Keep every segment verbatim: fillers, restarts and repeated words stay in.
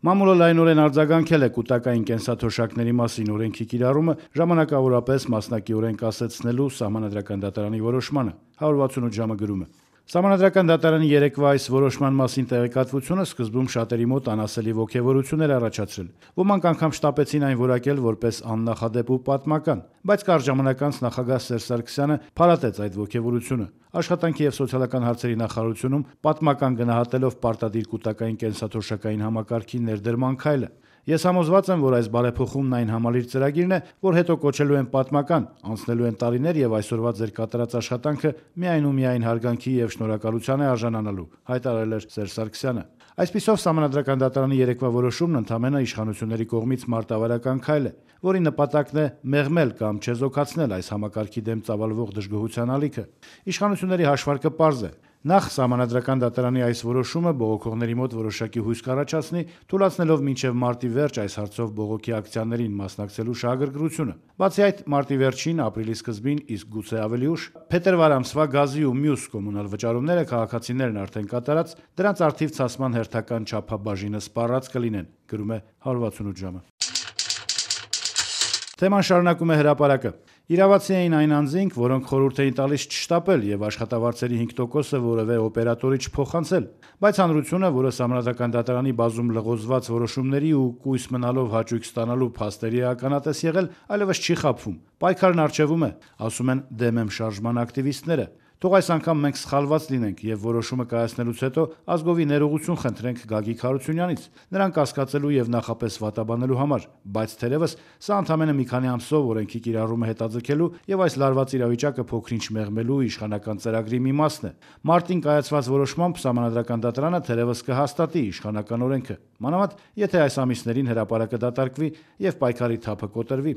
Մամուլը լայնորեն արձագանքել է կուտակային կենսաթոշակների մասին օրենքի կիրառումը ժամանակավորապես մասնակիորեն կասեցնելու Սահմանադրական դատարանի որոշմանը։ հարյուր վաթսունութ ժամը գրում է. Սահմանադրական դատարանի երեկվա այս որոշման մասին տեղեկատվությունը սկզբում շատերի մոտ անասելի ոգևորություն էր առաջացրել։ Ոմանք անգամ շտապեցին այն որակել որպես աննախադեպ ու պատմական, բայց կարճ ժամանակ անց նախագահ Սերժ Սարգսյանը փարատեց այդ ոգևորությունը։ Աշխատանքի և սոցիալական հարցերի նախարարությունում պատմական գնահատելով պարտադիր կուտակային կենսաթոշակային համակարգի ներդրման քայլը։ Ես համոզված եմ, որ այս բարեփոխումն այն համալիր ծրագիրն է, որ հետո կոչելու են պատմական, անցնելու են տարիներ եւ այսօրվա ձեր կատարած աշխատանքը միայն ու միայն հարգանքի եւ շնորհակալության է արժանանալու, հայտարարել էր Սերժ Սարգսյանը։ Այսպիսով Սահմանադրական դատարանի երեկվա որոշումն ընդամենը իշխանությունների կողմից մարտավարական քայլ է, որի նպատակն է մեղմել կամ չեզոքացնել այս համակարգի դեմ ծավալվող դժգոհության ալիքը։ Իշխանությունների հաշվարկը պարզ է։ Նախ Սահմանադրական դատարանի այս որոշումը բողոքողների մոտ որոշակի հույս կառաջացնի, թույլատնելով մինչև մարտի վերջ այս հարցով բողոքի ակցիաներին մասնակցելու շահագրգռությունը։ Բացի այդ, մարտի վերջին, ապրիլի սկզբին, իսկ գուցե ավելի ուշ, փետրվար ամսվա գազի ու մյուս կոմունալ վճարումները քաղաքացիներն արդեն կատարած, դրանց առթիվ ցասման հերթական չափաբաժինը սպառած կլինեն, գրում է հարյուր վաթսունութ ժամը։ Թեման շարունակում է Հրապարակը։ Իրավացի էին այն անձինք, որոնք խորհուրդ էին տալիս չշտապել եւ աշխատավարձերի հինգ տոկոսը որևէ օպերատորի չփոխանցել, բայց հանրությունը, որը Սահմանադրական դատարանի բազում լղոզված որոշումների ու կույս մնալով հաճույք ստանալու փաստերի է ականատես եղել, այլևս չի խաբվում։ Պայքարն առջևում է, ասում են դեմ եմ շարժման ակտիվիստները։ Թող այս անգամ մենք սխալված լինենք եւ որոշումը կայացնելուց հետո ազգովի ներողություն խնդրենք Գագիկ Հարությունյանից, նրան կասկածելու եւ նախապես վատաբանելու համար, բայց թերեւս սա ընդամենը մի քանի ամսով օրենքի կիրառումը հետաձգելու եւ այս լարված իրավիճակը փոքրինչ մեղմելու իշխանական ծրագրի մի մասն է։ Մարտին կայացված որոշմամբ Սահմանադրական դատարանը թերեւս կհաստատի իշխանական օրենքը, մանավանդ եթե այս ամիսներին հրապարակը դատարկվի եւ պայքարի թափը կոտրվի։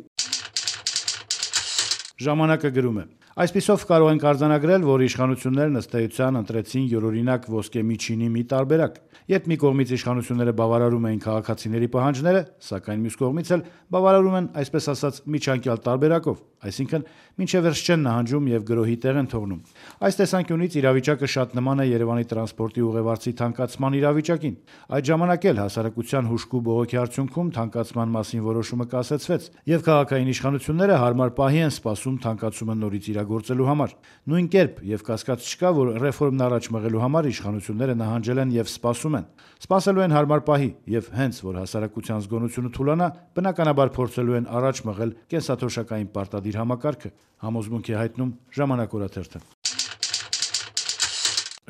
Ժամանակը գրում է. Այսպիսով կարող ենք արձանագրել, որ իշխանություններն ըստ էության ընտրեցին յուրօրինակ ոսկե միջինի մի տարբերակ, երբ մի կողմից իշխանությունները բավարարում էին քաղաքացիների պահանջները, սակայն մյուս կողմից էլ բավարարում են, այսպես ասած, միջանկյալ տարբերակով, այսինքն մինչև վերջ չեն նահանջում եւ գրոհի տեղ են թողնում։ Այս տեսանկյունից իրավիճակը շատ նման է Երևանի տրանսպորտի ուղևորցի թանկացման իրավիճակին։ Այդ ժամանակ էլ հասարակության հուժկու բողոքի արդյունքում թանկացման մասին որոշումը կասեցվեց, եւ քաղաքային իշխանությունները հարմար պահի են սպասում թանկացումը նորից իրագործելու համար։ Նույն կերպ եւ կասկած չկա, որ ռեֆորմն առաջ մղելու համար իշխանությունները նահանջել են եւ սպասում են։ Սպասելու են հարմար պահի եւ հենց որ հասարակության զգոնությունը թուլանա, բնականաբար փորձելու են առաջ մղել կենսաթոշակային պարտադիր համակարգը, համոզմունք է հայտնում Ժամանակ օրաթերթը։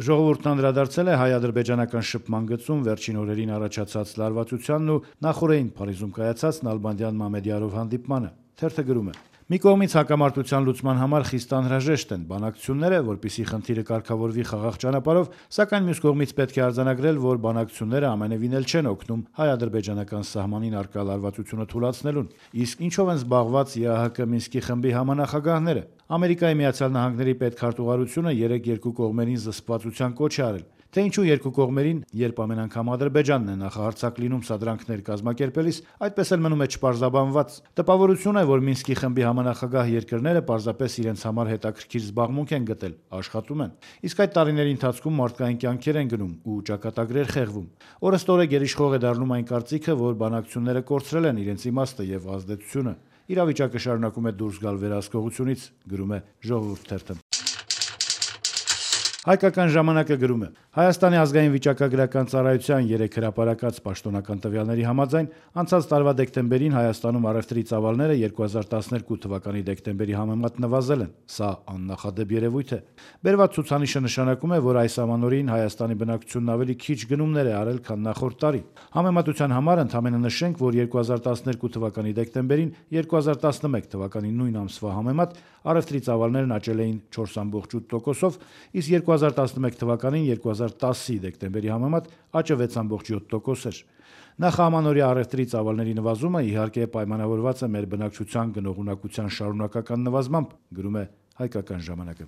Ժողովուրդն անդրադարձել է հայ-ադրբեջանական շփման գծում վերջին օրերին առաջացած լարվածությանն ու նախորդին Փարիզում կայացած Նալբանդյան Մամեդյարով հանդիպմանը։ Թերթը գրում է. Մի կողմից հակամարտության լուծման համար խիստ անհրաժեշտ են բանակցությունները, որպեսզի խնդիրը կարգավորվի խաղաղ ճանապարհով, սակայն մյուս կողմից պետք է արձանագրել, որ բանակցությունները ամենևին էլ չեն օգնում հայ-ադրբեջանական սահմանին առկա լարվածությունը թուլացնելուն։ Իսկ ինչով են զբաղված ԵԱՀԿ Մինսկի խմբի համանախագահները։ Ամերիկայի Միացյալ Նահանգների պետքարտուղարությունը երեկ երկու կողմերին զսպվածության կոչ է արել։ Թե ինչու երկու կողմերին, երբ ամեն անգամ Ադրբեջանն է նախահարձակ լինում սադրանքներ կազմակերպելիս, այդպես էլ մնում է չպարզաբանված։ Տպավորություն է, որ Մինսկի խմբի համանախագահ երկրները պարզապես իրենց համար հետաքրքիր զբաղմունք են գտել, աշխատում են։ Իսկ այդ տարիների ընթացքում մարդկային կյանքեր են գնում ու ճակատագրեր խեղվում։ Օրըստօրե գերիշխող է դառնում այն կարծիքը, որ բանակցությունները կորցրել են իրենց իմաստը եւ ազդեցությունը։ Իրավիճակը շարունակում է դուրս գալ վերահսկողությունից, գրում է Ժողովուրդ թերթը։ Հայկական ժամանակը գրում է. Հայաստանի ազգային վիճակագրական ծառայության երեկ հրապարակած պաշտոնական տվյալների համաձայն անցած տարվա դեկտեմբերին Հայաստանում առևտրի ծավալները երկու հազար տասներկու թվականի դեկտեմբերի համեմատ նվազել են։ Սա աննախադեպ երևույթ է։ Բերված ցուցանիշը նշանակում է, որ այս ամանորին Հայաստանի բնակչությունն ավելի քիչ գնումներ է արել, քան նախորդ տարի։ Համեմատության համար ընդամենը նշենք, որ երկու հազար տասներկու թվականի դեկտեմբերին երկու հազար տասնմեկ թվականի նույն ամսվա համեմատ առևտրի ծավալներն աճել էին չորս կoma ութ տոկոսով, իսկ երկու հազար տասնմեկ թվականին երկու հազար տասի դեկտեմբերի համեմատ աճը վեց կoma յոթ տոկոս էր։ Նախաամանորյա առևտրի ծավալների նվազումը իհարկե պայմանավորված է մեր բնակչության գնողունակության շարունակական նվազմամբ, գրում է Հայկական ժամանակը։